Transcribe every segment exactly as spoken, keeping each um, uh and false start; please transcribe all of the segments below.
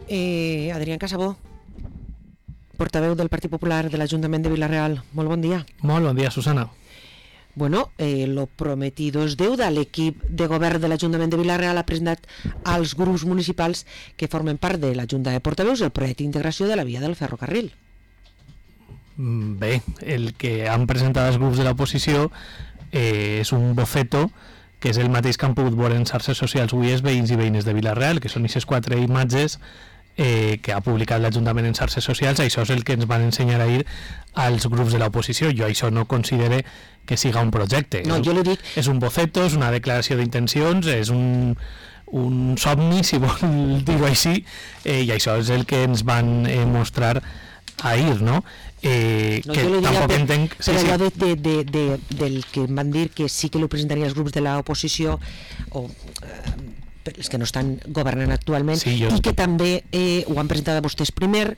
Eh, Adrián Casabó, portaveu del Partit Popular de l'Ajuntament de Vila-real. Molt bon dia. Molt bon dia, Susana. Bueno, eh, lo prometido es deuda. L'equip de govern de l'Ajuntament de Vila-real ha presentat als grups municipals que formen part de la Junta de Portaveus el projecte d'integració de la via del ferrocarril. Bé, el que han presentat els grups de l'oposició eh, és un boceto que és el mateix que han pogut veure en xarxes socials avui els veïns i veïnes de Vila-real, que són aquestes quatre imatges eh, que ha publicat l'Ajuntament en xarxes socials. Això és el que ens van ensenyar ahir als grups de l'oposició. Jo això no considere que siga un projecte. No, és, jo li dic... és un boceto, és una declaració d'intencions, és un, un somni, si vol dir-ho així, eh, i això és el que ens van eh, mostrar ahir, no? Eh, no, que tampoc per, entenc... Sí, per allò sí. de, de, de, de, del que em van dir que sí que lo presentarien els grups de l'oposició o eh, els que no estan governant actualment, sí, jo... i que també eh, ho han presentat a vostès primer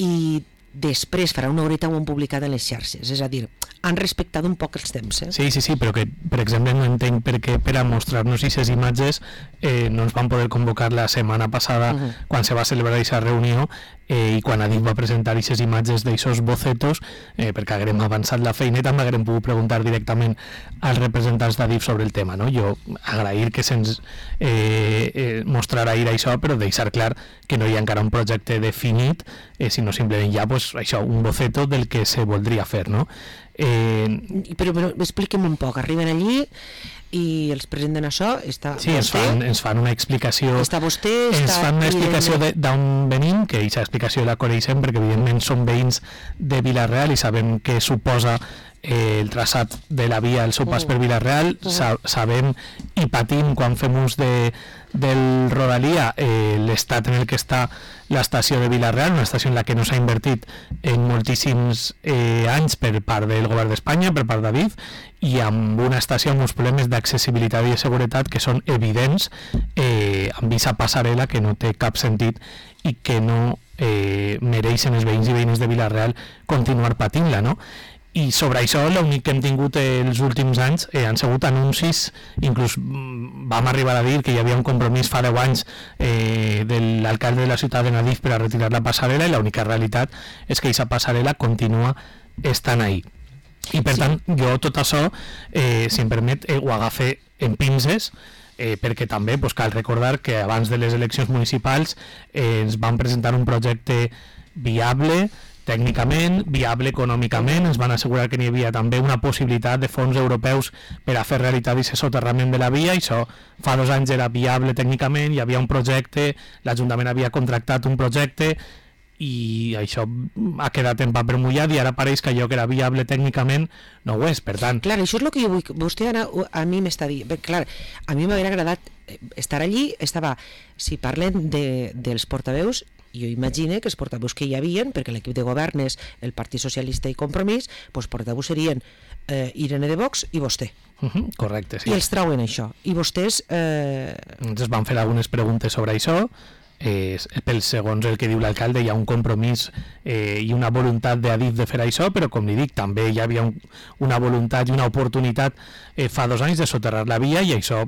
i després farà una horeta ho han publicat en les xarxes, és a dir, han respectat un poc els temps. Eh? Sí, sí, sí, però que, per exemple, no entenc per què per a mostrar-nos aquestes imatges eh, no ens van poder convocar la setmana passada uh-huh. quan se va celebrar aquesta reunió eh, i quan Adif va presentar aquestes imatges d'aixòs bocetos, eh, perquè haguem avançat la feineta, m'haguem pogut preguntar directament als representants d'Adif sobre el tema, no? Jo agrair que se'ns eh, eh, mostrarà ahir això, però deixar clar que no hi ha encara un projecte definit, eh, sinó simplement ja pues, això, un boceto del que se voldria fer, no? Eh, però, però expliquem un poc, arriben allí i els presenten això, està sí, ens fan, ens fan una explicació està vostè, ens està fan una explicació d'on venim, que aquesta explicació la coneixem perquè evidentment som veïns de Vila-real i sabem què suposa eh, el traçat de la via, el seu pas per Vila-real, uh-huh. Sa- sabem i patim quan fem ús de, del Rodalia eh, l'estat en el que està l'estació de Vila-real, una estació en la que no s'ha invertit en moltíssims eh, anys per part del govern d'Espanya, per part d'Adif, i amb una estació amb uns problemes d'accessibilitat i de seguretat que són evidents, eh, amb aquesta passarel·la que no té cap sentit i que no eh, mereixen els veïns i veïnes de Vila-real continuar patint-la, no? I sobre això l'únic que hem tingut els últims anys eh, han sigut anuncis, inclús vam arribar a dir que hi havia un compromís fa deu anys eh, de l'alcalde de la ciutat de Adif per a retirar la passarel·la i l'única realitat és que aquesta passarel·la continua estant ahí. I per sí. tant jo tot això, eh, si em permet, eh, ho agafe en pinces, eh, perquè també pues, cal recordar que abans de les eleccions municipals eh, ens van presentar un projecte viable, tècnicament, viable econòmicament, ens van assegurar que n'hi havia també una possibilitat de fons europeus per a fer realitat aquest soterrament de la via, i això fa dos anys era viable tècnicament, hi havia un projecte, l'Ajuntament havia contractat un projecte i això ha quedat en paper mullat i ara pareix que allò que era viable tècnicament no ho és, per tant... Clar, això és el que jo vull, vostè ara a mi m'està dient, clar, a mi m'hauria agradat estar allí, estava, si parlen de, dels portaveus, jo imagino que els portaveus que hi havien, perquè l'equip de govern és el Partit Socialista i Compromís, doncs portaveus serien eh, Irene de Vox i vostè. Uh-huh, correcte, sí. I els trauen això. I vostès... Eh... Ens van fer algunes preguntes sobre això, eh, pel segons el que diu l'alcalde hi ha un compromís eh, i una voluntat d'Adif de fer això, però com li dic, també hi havia un, una voluntat i una oportunitat eh, fa dos anys de soterrar la via i això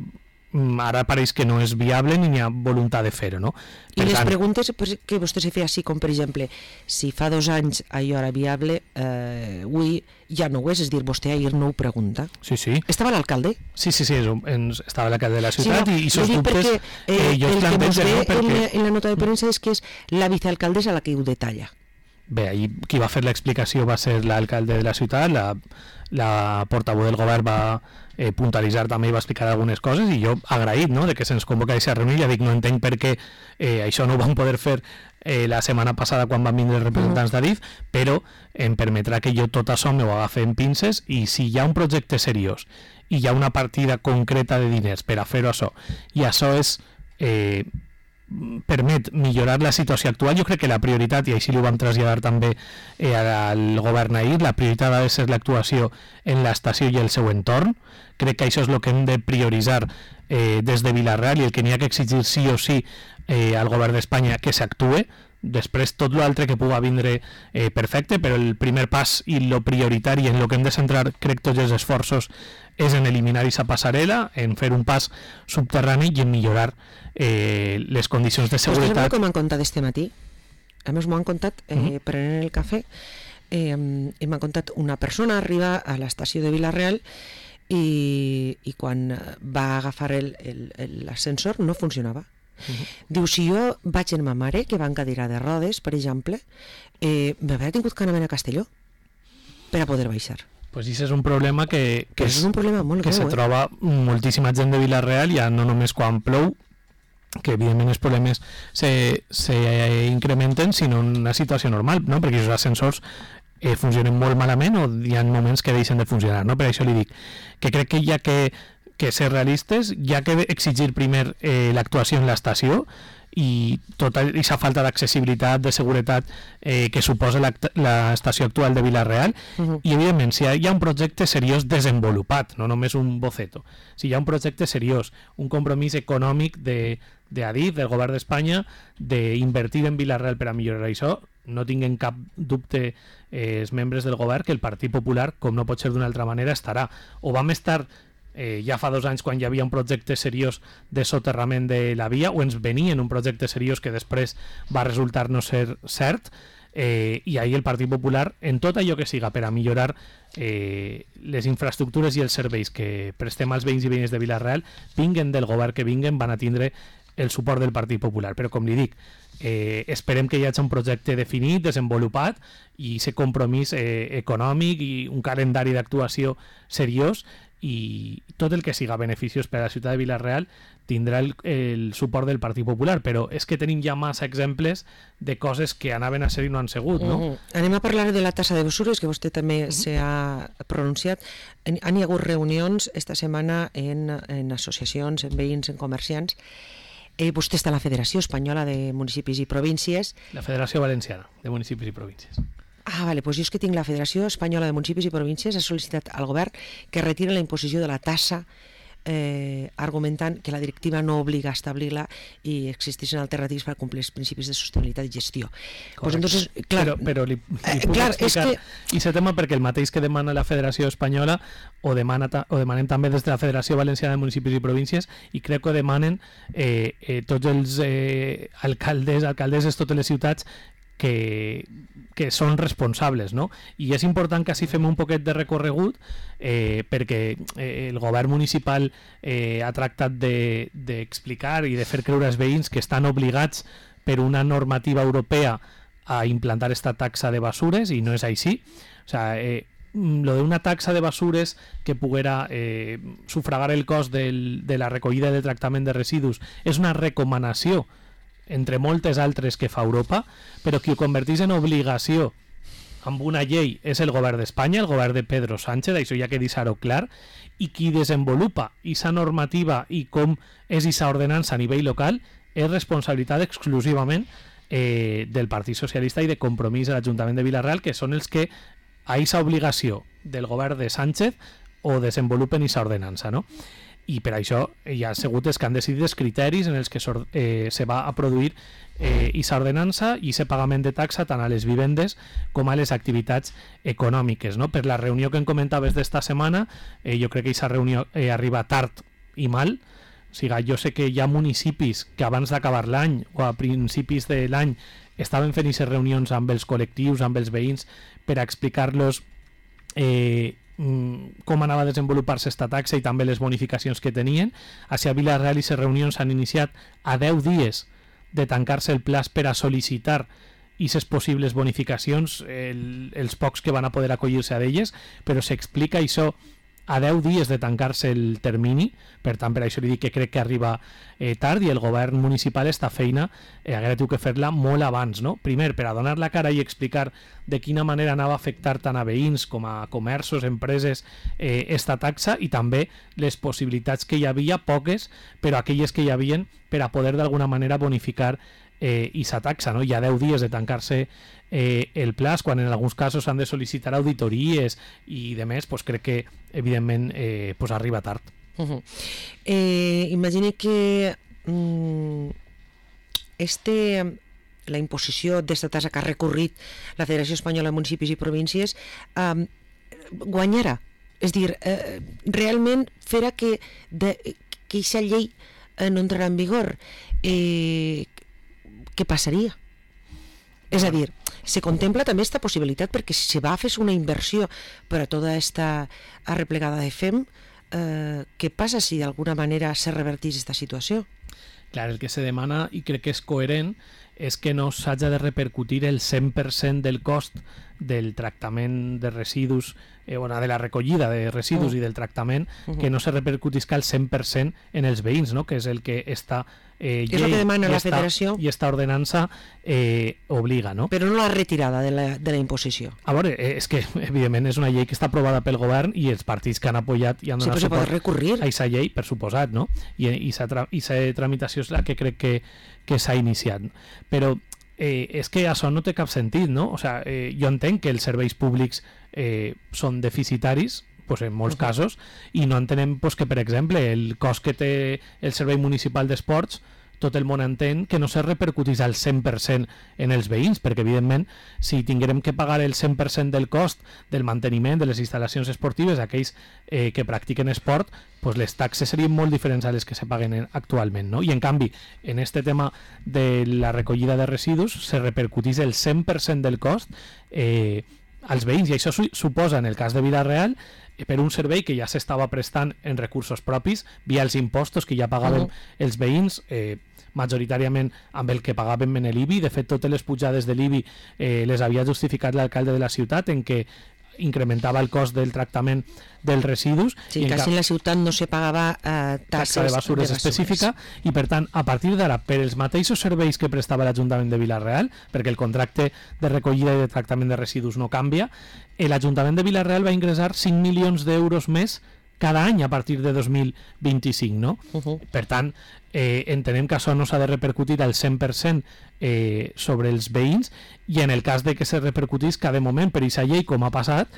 ara pareix que no és viable ni hi ha voluntat de fer-ho, no? Per I les tant... preguntes que vostè se feia així, com per exemple, si fa dos anys allò era viable, eh, avui ja no ho és, és dir, vostè ahir no ho pregunta. Sí, sí. Estava l'alcalde? Sí, sí, sí, estava l'alcalde de la ciutat sí, no, i, i sos dubtes... Perquè, eh, eh, jo el que mos ve no, perquè... en, la, en la nota de premsa és que és la vicealcaldessa la que ho detalla. Bé, ahir qui va fer l'explicació va ser l'alcalde de la ciutat, la, la portaveu del govern va eh, puntualitzar també i va explicar algunes coses i jo agraït, no?, de que se'ns convoca a aquesta reunió. Ja dic, no entenc per què eh, això no ho vam poder fer eh, la setmana passada quan van vindre els representants d'Adif, però em permetrà que jo tot això m'ho agafi en pinces i si hi ha un projecte seriós i hi ha una partida concreta de diners per a fer-ho això i això és... Eh, permet millorar la situació actual, jo crec que la prioritat, i així ho vam traslladar també eh, al govern ahir, la prioritat ha de ser l'actuació en l'estació i el seu entorn. Crec que això és el que hem de prioritzar eh, des de Vila-real i el que n'hi ha que exigir sí o sí eh, al govern d'Espanya que s'actue després tot l'altre que pugui vindre eh, perfecte, però el primer pas i lo prioritari en lo que hem de centrar, crec, tots els esforços és en eliminar aquesta passarel·la, en fer un pas subterrani i en millorar eh, les condicions de seguretat. Vostès com han contat este matí? A més m'ho han contat eh, uh-huh. prenent el cafè, eh, i m'han contat una persona arriba a l'estació de Vila-real i, i quan va agafar l'ascensor no funcionava. Uh-huh. Diu, si jo vaig amb ma mare, que va en cadira de rodes, per exemple, eh, m'hauria tingut que anar a Castelló per a poder baixar. Pues això és un problema que, que, és un problema molt que greu, se eh? troba moltíssima gent de Vila-real, ja no només quan plou, que evidentment els problemes se, se incrementen, sinó en una situació normal, no? Perquè els ascensors eh, funcionen molt malament o hi ha moments que deixen de funcionar, no? Per això li dic que crec que hi ha que, que ser realistes, hi ha que exigir primer eh, l'actuació en l'estació i tota aquesta falta d'accessibilitat, de seguretat eh, que suposa l'estació actual de Vila-real, uh-huh. i evidentment si hi ha un projecte seriós desenvolupat, no només un boceto, si hi ha un projecte seriós, un compromís econòmic de, de Adif, del govern d'Espanya, d'invertir en Vila-real per a millorar això, no tinguen cap dubte eh, els membres del govern que el Partit Popular, com no pot ser d'una altra manera, estarà. O vam estar Eh, ja fa dos anys quan hi havia un projecte seriós de soterrament de la via, o ens venien un projecte seriós que després va resultar no ser cert, eh, i ahir el Partit Popular, en tot allò que siga per a millorar eh, les infraestructures i els serveis que prestem als veïns i veïnes de Vila-real, vinguen del govern que vinguen, van a tindre el suport del Partit Popular. Però com li dic, eh, esperem que hi hagi un projecte definit, desenvolupat, i aquest compromís eh, econòmic i un calendari d'actuació seriós, i tot el que siga beneficiós per a la ciutat de Vila-real tindrà el, el suport del Partit Popular, però és que tenim ja massa exemples de coses que anaven a ser i no han sigut, no? Uh-huh. Anem a parlar de la tassa de basures, que vostè també uh-huh. s'ha pronunciat. Han hi ha hagut reunions esta setmana en, en associacions, en veïns, en comerciants. Eh, vostè està a la Federació Espanyola de Municipis i Províncies. La Federació Valenciana de Municipis i Províncies. Ah, vale, doncs jo és que tinc la Federació Espanyola de Municipis i Províncies, ha sol·licitat al govern que retira la imposició de la tassa, eh, argumentant que la directiva no obliga a establir-la i existeixen alternatives per complir els principis de sostenibilitat i gestió. Pues entonces, clar, però però li, li eh, puc clar, explicar és que... i aquest tema perquè el mateix que demana la Federació Espanyola o, demana ta, o demanem també des de la Federació Valenciana de Municipis i Províncies, i crec que demanen eh, eh, tots els eh, alcaldes, alcaldesses, totes les ciutats que, que són responsables, no? I és important que així fem un poquet de recorregut eh, perquè eh, el govern municipal eh, ha tractat d'explicar de, i de fer creure als veïns que estan obligats per una normativa europea a implantar esta taxa de basures, i no és així. O sea, eh, lo de una taxa de basures que poguera eh, sufragar el cost del, de la recollida i de tractament de residus és una recomanació entre moltes altres que fa Europa, però qui ho convertís en obligació amb una llei és el govern d'Espanya, el govern de Pedro Sánchez, això ja que deixar-ho clar, i qui desenvolupa aquesta normativa i com és aquesta ordenança a nivell local és responsabilitat exclusivament eh, del Partit Socialista i de Compromís a l'Ajuntament de Vila-real, que són els que a aquesta obligació del govern de Sánchez o desenvolupen aquesta ordenança, no? I per això hi ha sigut els que han decidit els criteris en els que eh, se va a produir eh, aquesta ordenança i aquest pagament de taxa tant a les vivendes com a les activitats econòmiques, no? Per la reunió que em comentaves d'esta setmana, eh, jo crec que aquesta reunió eh, arriba tard i mal. O sigui, jo sé que hi ha municipis que abans d'acabar l'any o a principis de l'any estaven fent aquestes reunions amb els col·lectius, amb els veïns, per a explicar-los eh, com anava a desenvolupar-se esta taxa i també les bonificacions que tenien. A Vila-real aquestes reunions s'han iniciat a deu dies de tancar-se el plaç per a sol·licitar aquestes possibles bonificacions, el, els pocs que van a poder acollir-se a d'elles, però s'explica això a deu dies de tancar-se el termini. Per tant, per això li dic que crec que arriba eh, tard, i el govern municipal esta feina eh, haguera tingut que fer-la molt abans, no? Primer, per a donar la cara i explicar de quina manera anava a afectar tant a veïns com a comerços, empreses, eh, esta taxa, i també les possibilitats que hi havia, poques, però aquelles que hi havien, per a poder d'alguna manera bonificar eh, aquesta taxa, no? Hi ha deu dies de tancar-se eh, el plaç, quan en alguns casos s'han de sol·licitar auditories i de més, pues crec que evidentment eh, pues arriba tard. Uh-huh. eh, imagine que mm, este la imposició d'esta tassa que ha recorrit la Federació Espanyola de Municipis i Províncies, eh, guanyarà. És a dir, eh, realment farà que aquesta llei eh, no entrarà en vigor. Eh, què passaria? És a dir, se contempla també aquesta possibilitat perquè si se va a fer una inversió per a tota aquesta arreplegada de F E M, eh, què passa si d'alguna manera se revertís aquesta situació? Clar, el que se demana, i crec que és coherent, és que no s'haja de repercutir el cent per cent del cost del tractament de residus, eh, bueno, de la recollida de residus uh. i del tractament, uh -huh. que no se repercutisca el cent per cent en els veïns, no? Que és el que està eh, llei, és el que demana la Federació i esta ordenança eh, obliga, no? Però no la retirada de la, de la imposició. A veure, eh, és que evidentment és una llei que està aprovada pel govern i els partits que han apoyat i han donat sí, suport recurrir. a aquesta llei, per suposat, no? I aquesta tramitació és la que crec que, que s'ha iniciat. Però eh, és que això no té cap sentit, no? O sea, eh, jo entenc que els serveis públics eh, són deficitaris, pues en molts uh -huh. casos, i no entenem pues, que, per exemple, el cost que té el Servei Municipal d'Esports, tot el món entén que no se repercutís al cent per cent en els veïns, perquè evidentment si tinguérem que pagar el cent per cent del cost del manteniment de les instal·lacions esportives a aquells eh, que practiquen esport, pues les taxes serien molt diferents a les que se paguen actualment, no? I en canvi, en este tema de la recollida de residus se repercutís el cent per cent del cost eh, als veïns, i això su suposa, en el cas de Vila-real, per un servei que ja s'estava prestant en recursos propis, via els impostos que ja pagaven uh -huh. els veïns, eh, majoritàriament amb el que pagaven en l'I B I. De fet, totes les pujades de l'I B I eh, les havia justificat l'alcalde de la ciutat, en què incrementava el cost del tractament dels residus. Sí, i quasi en la ciutat no se pagava eh, taxes taxa de basures específica, i per tant, a partir d'ara, per els mateixos serveis que prestava l'Ajuntament de Vila-real, perquè el contracte de recollida i de tractament de residus no canvia, l'Ajuntament de Vila-real va ingressar cinc milions d'euros més cada any a partir de dos mil vint-i-cinc, no? Uh -huh. Per tant, eh, entenem que això no s'ha de repercutir al cent per cent eh, sobre els veïns, i en el cas de que se repercutís cada moment per aquesta llei, com ha passat,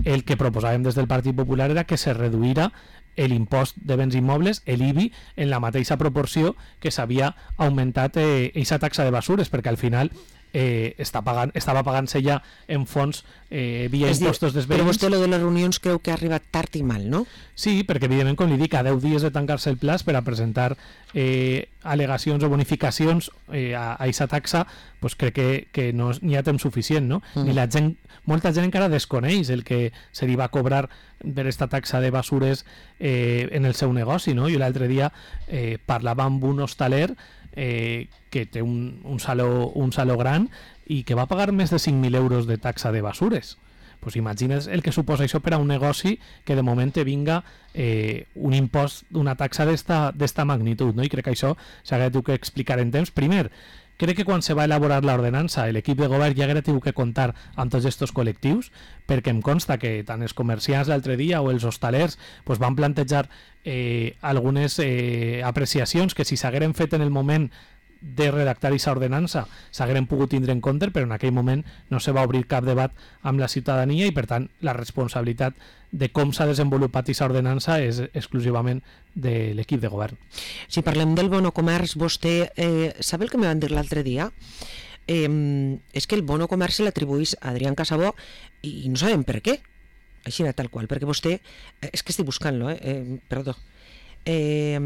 el que proposàvem des del Partit Popular era que se reduïra l'impost de béns immobles, l'I B I, en la mateixa proporció que s'havia augmentat aquesta eh, taxa de basures, perquè al final eh, està pagant, estava pagant-se ja en fons eh, via és impostos dels veïns. Però vostè lo de les reunions creu que ha arribat tard i mal, no? Sí, perquè evidentment, com li dic, a deu dies de tancar-se el plaç per a presentar eh, al·legacions o bonificacions eh, a aquesta taxa, pues crec que, que no n'hi ha temps suficient, no? Mm. Ni la gent, molta gent encara desconeix el que se li va cobrar per aquesta taxa de basures eh, en el seu negoci, no? Jo l'altre dia eh, parlava amb un hostaler eh, que té un, un, saló, un saló gran i que va pagar més de cinc mil euros de taxa de basures. Pues imagines el que suposa això per a un negoci que de moment te vinga eh, un impost d'una taxa d'esta magnitud, no? I crec que això s'ha de que explicar en temps. Primer, crec que quan se va elaborar l'ordenança l'equip de govern ja haguera tingut que comptar amb tots aquests col·lectius, perquè em consta que tant els comerciants l'altre dia o els hostalers pues, van plantejar eh, algunes eh, apreciacions que si s'hagueren fet en el moment de redactar aquesta ordenança s'hagueren pogut tindre en compte, però en aquell moment no se va obrir cap debat amb la ciutadania i per tant la responsabilitat de com s'ha desenvolupat aquesta ordenança és exclusivament de l'equip de govern. Si parlem del bono comerç, vostè eh, sap el que me van dir l'altre dia? Eh, és que el bono comerç se l'atribuís a Adrián Casabó i no sabem per què, així era tal qual, perquè vostè, eh, és que estic buscant-lo, eh, eh, perdó, eh,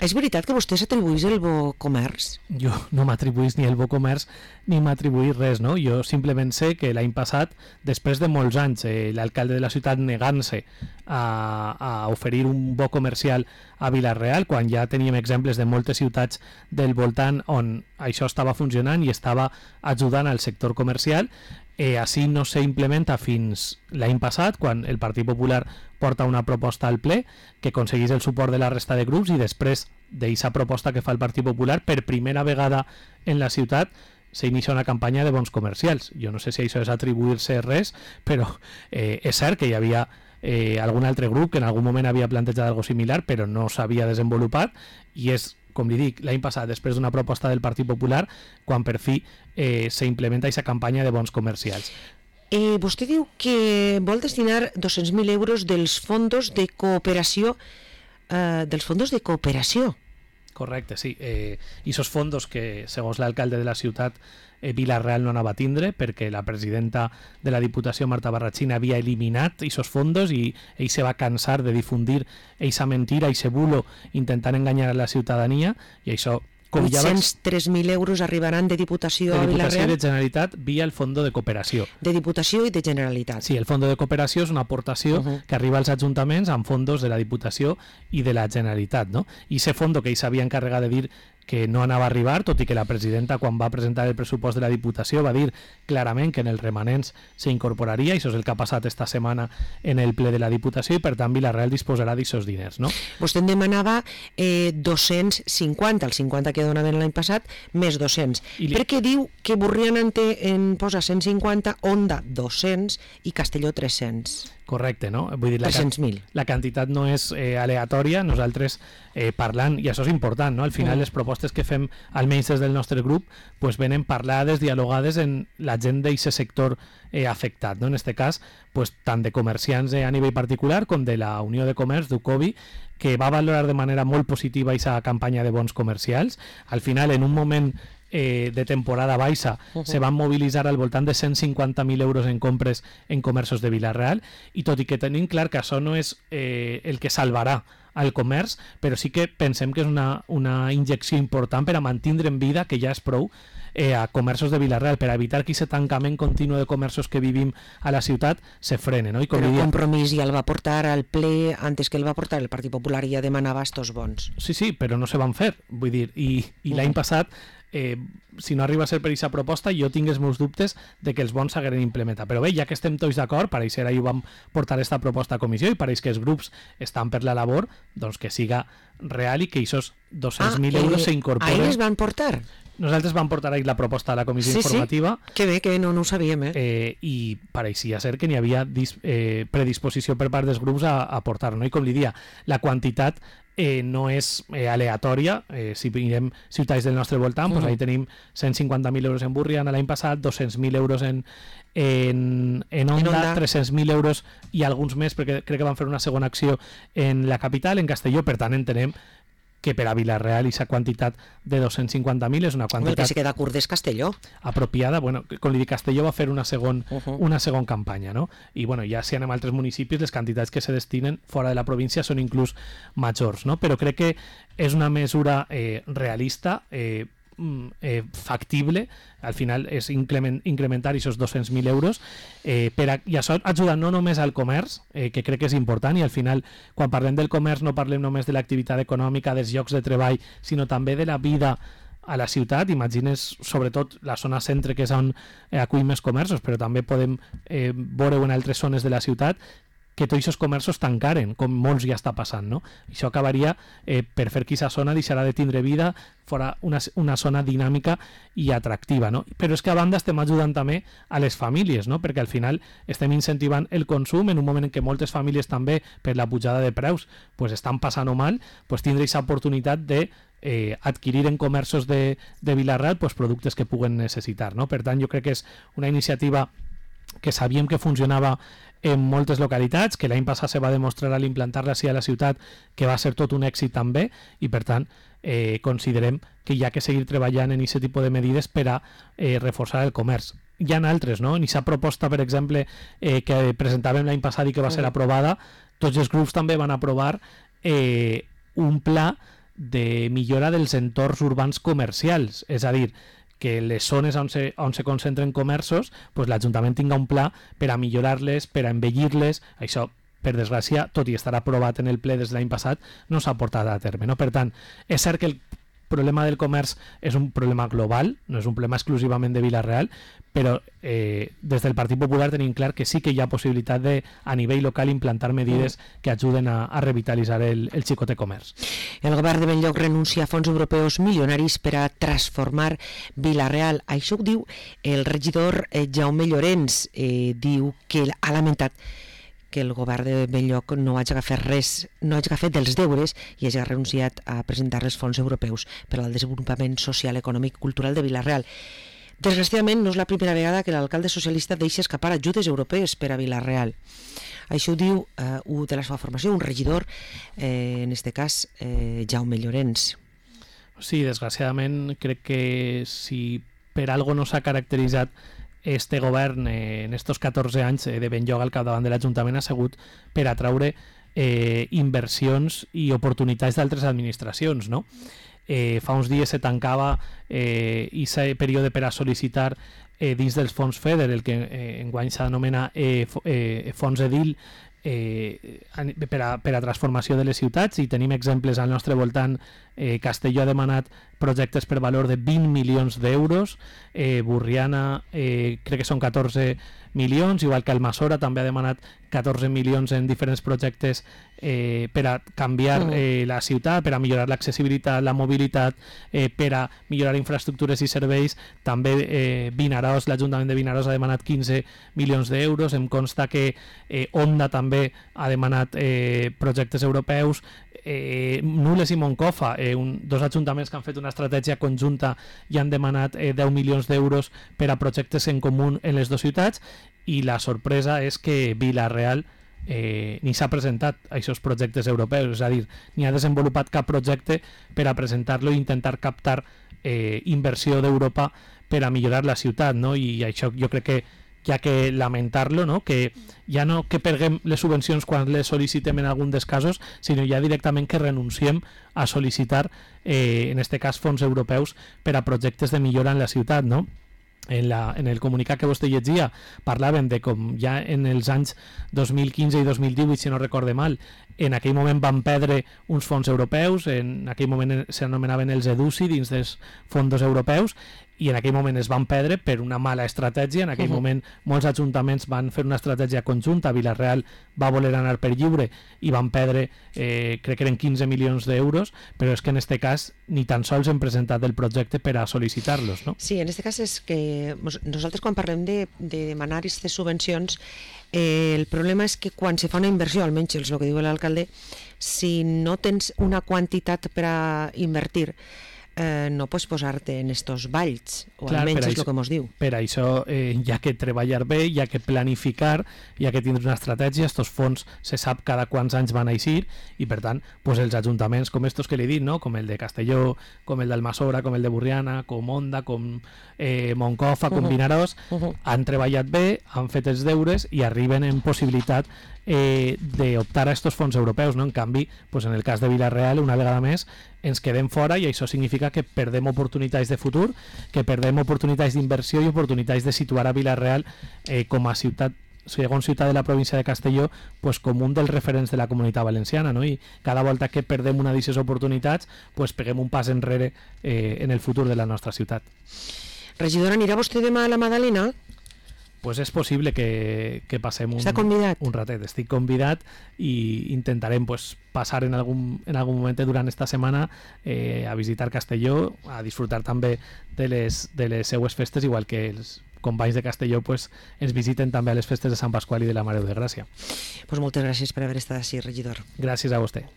és veritat que vostè s'atribuís el bo comerç? Jo no m'atribuís ni el bo comerç ni m'atribuís res, no? Jo simplement sé que l'any passat, després de molts anys, eh, l'alcalde de la ciutat negant-se a, a oferir un bo comercial a Vila-real, quan ja teníem exemples de moltes ciutats del voltant on això estava funcionant i estava ajudant al sector comercial, eh, així no s'implementa fins l'any passat, quan el Partit Popular porta una proposta al ple que aconseguís el suport de la resta de grups, i després d'aquesta proposta que fa el Partit Popular, per primera vegada en la ciutat s'inicia una campanya de bons comercials. Jo no sé si això és atribuir-se res, però eh, és cert que hi havia eh, algun altre grup que en algun moment havia plantejat algo similar, però no s'havia desenvolupat, i és, com li dic, l'any passat, després d'una proposta del Partit Popular, quan per fi eh, s'implementa aquesta campanya de bons comercials. Eh, vostè diu que vol destinar dos-cents mil euros dels fondos de cooperació, eh, dels fondos de cooperació. Correcte, sí. Eh, I esos fondos que, segons l'alcalde de la ciutat, eh, Vila-real no anava a tindre perquè la presidenta de la Diputació, Marta Barrachina, havia eliminat esos fondos i ell se va cansar de difundir esa mentira, ese bulo, intentant enganyar a la ciutadania, i això... vuit-cents tres mil euros arribaran de Diputació a Vila-real. De Diputació i de Generalitat via el Fondo de Cooperació. De Diputació i de Generalitat. Sí, el Fondo de Cooperació és una aportació uh -huh. que arriba als ajuntaments amb fondos de la Diputació i de la Generalitat, no? I ese fondo que ell s'havia encarregat de dir que no anava a arribar, tot i que la presidenta, quan va presentar el pressupost de la Diputació, va dir clarament que en els remanents s'incorporaria, i això és el que ha passat esta setmana en el ple de la Diputació, i per tant Vila-real disposarà d'aquests diners, no? Vostè en demanava eh, dos-cents cinquanta, el cinquanta que donaven l'any passat, més dos-cents. Li... Perquè diu que Borriana en, té, en posa cent cinquanta, Onda dos-cents i Castelló tres-cents. Correcte, no? Vull dir, la, tres-cents mil. La quantitat no és eh, aleatòria, nosaltres eh, parlant, i això és important, no? Al final mm. les propostes que fem, almenys des del nostre grup, pues venen parlades, dialogades en la gent d'aquest sector eh, afectat, no? En este cas, pues, tant de comerciants eh, a nivell particular com de la Unió de Comerç, d'Ucovi, que va valorar de manera molt positiva aquesta campanya de bons comercials. Al final, en un moment Eh, de temporada baixa, uh -huh. se van mobilitzar al voltant de cent cinquanta mil euros en compres en comerços de Vila-real, i tot i que tenim clar que això no és eh, el que salvarà al comerç, però sí que pensem que és una, una injecció important per a mantindre en vida, que ja és prou, eh, a comerços de Vila-real, per a evitar que aquest tancament continu de comerços que vivim a la ciutat se frene, no? I com però el diria... Compromís ja el va portar al ple antes que el va portar el Partit Popular, i ja demanava estos bons. Sí, sí, però no se van fer, vull dir, i, i uh -huh. l'any passat Eh, si no arriba a ser per aquesta proposta, jo tinc els meus dubtes de que els bons s'hagueren implementat. Però bé, ja que estem tots d'acord, pareix ser ahir ho vam portar aquesta proposta a comissió i pareix que els grups estan per la labor, doncs que siga real i que aquests dos-cents mil ah, euros eh, s'incorporen. Ahir es van portar? Nosaltres vam portar ahir la proposta a la comissió sí, informativa. Sí, que bé, que no, no ho sabíem, eh? eh I pareixia ser que n'hi havia dis, eh, predisposició per part dels grups a, a portar, no? I com li dia, la quantitat Eh, no és eh, aleatòria. Eh, si mirem ciutats del nostre voltant, uh -huh. pues ahí tenim cent cinquanta mil euros en Borriana l'any passat, dos-cents mil euros en, en, en, Onda, en Onda, tres-cents mil euros i alguns més, perquè crec que van fer una segona acció en la capital, en Castelló. Per tant, entenem que per a Vila-real aquesta quantitat de dos-cents cinquanta mil és una quantitat... El que se queda curt és Castelló. Apropiada. Bueno, com li dic, Castelló va fer una segon, uh -huh. una segon campanya, no? I bueno, ja si anem a altres municipis, les quantitats que se destinen fora de la província són inclús majors, no? Però crec que és una mesura eh, realista, eh, Eh, factible. Al final és increment, incrementar aquests dos-cents mil euros, eh, per a, i això ajuda no només al comerç, eh, que crec que és important, i al final quan parlem del comerç no parlem només de l'activitat econòmica, dels llocs de treball, sinó també de la vida a la ciutat. Imagines sobretot la zona centre, que és on eh, acull més comerços, però també podem eh, veure en altres zones de la ciutat que tots aquests comerços tancaren, com molts ja està passant, no? Això acabaria eh, per fer que aquesta zona deixarà de tindre vida, fora una, una zona dinàmica i atractiva, no? Però és que a banda estem ajudant també a les famílies, no? Perquè al final estem incentivant el consum en un moment en què moltes famílies també, per la pujada de preus, pues estan passant-ho mal, pues tindre aquesta oportunitat de eh, adquirir en comerços de, de Vila-real pues, productes que puguen necessitar, no? Per tant, jo crec que és una iniciativa que sabíem que funcionava en moltes localitats, que l'any passat se va demostrar a l'implantar-la a la ciutat que va ser tot un èxit també, i per tant eh, considerem que hi ha que seguir treballant en aquest tipus de medides per a eh, reforçar el comerç. Hi ha altres, no? En aquesta proposta, per exemple, eh, que presentàvem l'any passat i que va ser aprovada, tots els grups també van aprovar eh, un pla de millora dels entorns urbans comercials, és a dir, que les zones on se, on se concentren comerços, pues l'Ajuntament tinga un pla per a millorar-les, per a embellir-les. Això, per desgràcia, tot i estar aprovat en el ple des de l'any passat, no s'ha portat a terme, no? Per tant, és cert que el problema del comerç és un problema global, no és un problema exclusivament de Vila-real, però eh, des del Partit Popular tenim clar que sí que hi ha possibilitat de, a nivell local, implantar medides que ajuden a, a revitalitzar el, el xicote comerç. El govern de Benlloc renuncia a fons europeus milionaris per a transformar Vila-real. Això ho diu el regidor eh, Jaume Llorens. Eh, diu que ha lamentat que el govern de Benlloc no hagi agafat res, no hagi agafat dels deures i hagi renunciat a presentar els fons europeus per al desenvolupament social, econòmic i cultural de Vila-real. Desgraciadament, no és la primera vegada que l'alcalde socialista deixa escapar ajudes europees per a Vila-real. Això ho diu eh, un de la seva formació, un regidor, eh, en aquest cas, eh, Jaume Llorens. Sí, desgraciadament crec que si per algo no s'ha caracteritzat este govern eh, en estos catorze anys eh, de Benlloc al capdavant de l'Ajuntament ha sigut per atraure eh, inversions i oportunitats d'altres administracions, no? Eh, fa uns dies se tancava eh, aquest període per a sol·licitar eh, dins dels fons FEDER, el que eh, enguany s'anomena eh, eh, fons EDIL, eh, per, a, per a transformació de les ciutats, i tenim exemples al nostre voltant. eh, Castelló ha demanat projectes per valor de vint milions d'euros, eh, Borriana eh, crec que són catorze milions, igual que Almassora també ha demanat catorze milions en diferents projectes eh, per a canviar eh, la ciutat, per a millorar l'accessibilitat, la mobilitat, eh, per a millorar infraestructures i serveis. També eh, Vinaròs, l'Ajuntament de Vinaròs ha demanat quinze milions d'euros. Em consta que eh, Onda també ha demanat eh, projectes europeus. Eh, Nules i Moncofa, eh, un, dos ajuntaments que han fet una estratègia conjunta i han demanat eh, deu milions d'euros per a projectes en comú en les dues ciutats, i la sorpresa és que Vila-real eh, ni s'ha presentat a aquests projectes europeus, és a dir, ni ha desenvolupat cap projecte per a presentar-lo i intentar captar eh, inversió d'Europa per a millorar la ciutat, no? I això jo crec que hi ha que lamentar-lo, no? Que ja no que perguem les subvencions quan les sol·licitem en algun dels casos, sinó ja directament que renunciem a sol·licitar, eh, en este cas, fons europeus per a projectes de millora en la ciutat, no? En, la, en el comunicat que vostè llegia parlàvem de com ja en els anys dos mil quinze i dos mil divuit, si no recorde mal, en aquell moment van perdre uns fons europeus, en aquell moment s'anomenaven els EDUSI dins dels fons europeus, i en aquell moment es van perdre per una mala estratègia. En aquell uh -huh. moment molts ajuntaments van fer una estratègia conjunta, Vila-real va voler anar per lliure i van perdre, eh, crec que eren quinze milions d'euros, però és que en aquest cas ni tan sols hem presentat el projecte per a sol·licitar-los, no? Sí, en aquest cas és que nosaltres quan parlem de, de demanar aquestes subvencions, eh, el problema és que quan se fa una inversió, almenys és el que diu l'alcalde, si no tens una quantitat per a invertir, Eh, no pots posar-te en estos valls, o Clar, almenys és el que mos diu. Per això eh, hi ha que treballar bé, hi ha que planificar, hi ha que tindre una estratègia. Estos fons se sap cada quants anys van a eixir, i per tant pues, els ajuntaments com estos que li he dit, no? Com el de Castelló, com el d'Almassora, com el de Borriana, com Onda, com eh, Moncofa, com uh -huh. Vinaròs, uh -huh. han treballat bé, han fet els deures i arriben en possibilitat eh, d'optar a estos fons europeus, no? En canvi, pues, en el cas de Vila-real, una vegada més ens quedem fora, i això significa que perdem oportunitats de futur, que perdem oportunitats d'inversió i oportunitats de situar a Vila-real eh, com a ciutat, segons ciutat de la província de Castelló, pues, com un dels referents de la comunitat valenciana, no? I cada volta que perdem una d'aquestes oportunitats, pues, peguem un pas enrere eh, en el futur de la nostra ciutat. Regidora, anirà vostè demà a la Madalena? Pues és possible que, que passem un, un ratet. Estic convidat i intentarem pues, passar en algun, en algun moment durant esta setmana eh, a visitar Castelló, a disfrutar també de les, de les seues festes, igual que els companys de Castelló pues, ens visiten també a les festes de Sant Pasqual i de la Mare de Gràcia. Pues moltes gràcies per haver estat així, regidor. Gràcies a vostè.